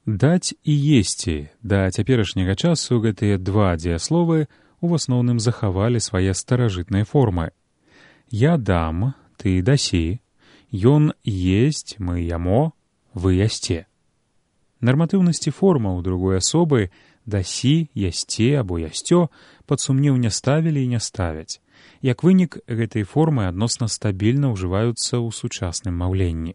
Даць і есці. Да цяперашняга часу гэтыя два дзеясловы у асноўным захавалі свае старажытныя формы. Я дам, ты дасі, ён есць, мы ямо, вы ясце. Нарматыўнасці формаў другой асобы дасі, ясце або ясцё пад сумнеў не ставілі і не ставяць. Як вынік, гэтай формы адносна стабільна ўжываюцца ў сучасным маўленні.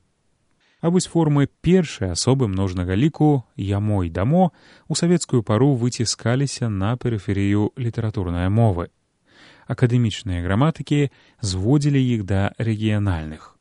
А вось формы першай асобы множнага ліку «ямо» і «дамо» у савецкую пару выціскаліся на перыферыю літаратурнай мовы. Акадэмічныя граматыкі зводзілі іх да рэгіянальных.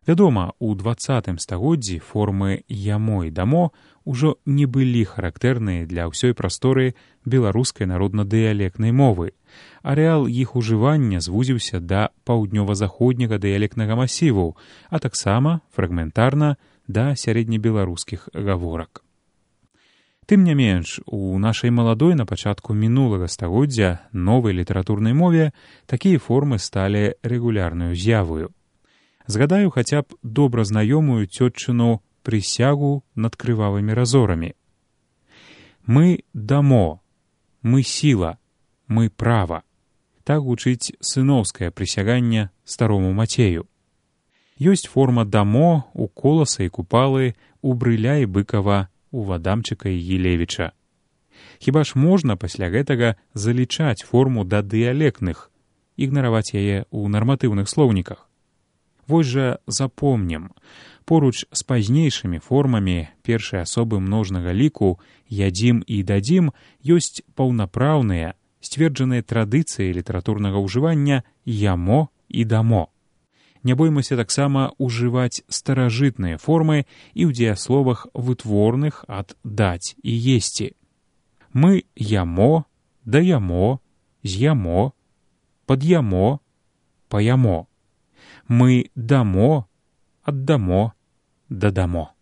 Вядома, у 20 стагоддзі формы «ямо» і «дамо» ужо не былі характэрныя для ўсёй прасторы беларускай народна-дыялектнай мовы. Арэал іх ужывання звузіўся да паўднёва-заходняга дыялектнага масіву, а таксама, фрагментарна, да сярэднебеларускіх гаворак. Тым не менш, у нашай маладой на пачатку мінулага стагоддзя новай літаратурнай мове такія формы сталі рэгулярнаю з'явою. Згадаю хаця б добра знаёмую цётчыну прысягу над крывавымі разорамі. Мы дамо, мы сіла, мы права. Так гучыць сыноўскае прысяганне старому Мацею. Ёсць форма дамо у Коласа і Купалы, у Брыля і Быкава, у Вадамчыка і Елевіча. Хіба ж можна пасля гэтага залічаць форму да дыялектных, ігнараваць яе ў нарматыўных слоўніках? Вось жа запомнім, поруч з пазнейшымі формамі першай асобы множнага ліку «ядзім» і «дадзім» ёсць паўнапраўныя, сцверджаныя традыцыі літаратурнага ўжывання «ямо» і «дамо». Не боймася таксама ўжываць старажытныя формы і ў дзеясловах вытворных ад «даць» і «есці». Мы ямо, даямо, з'ямо, пад'ямо, паямо. Мы дамо, аддамо, дадамо.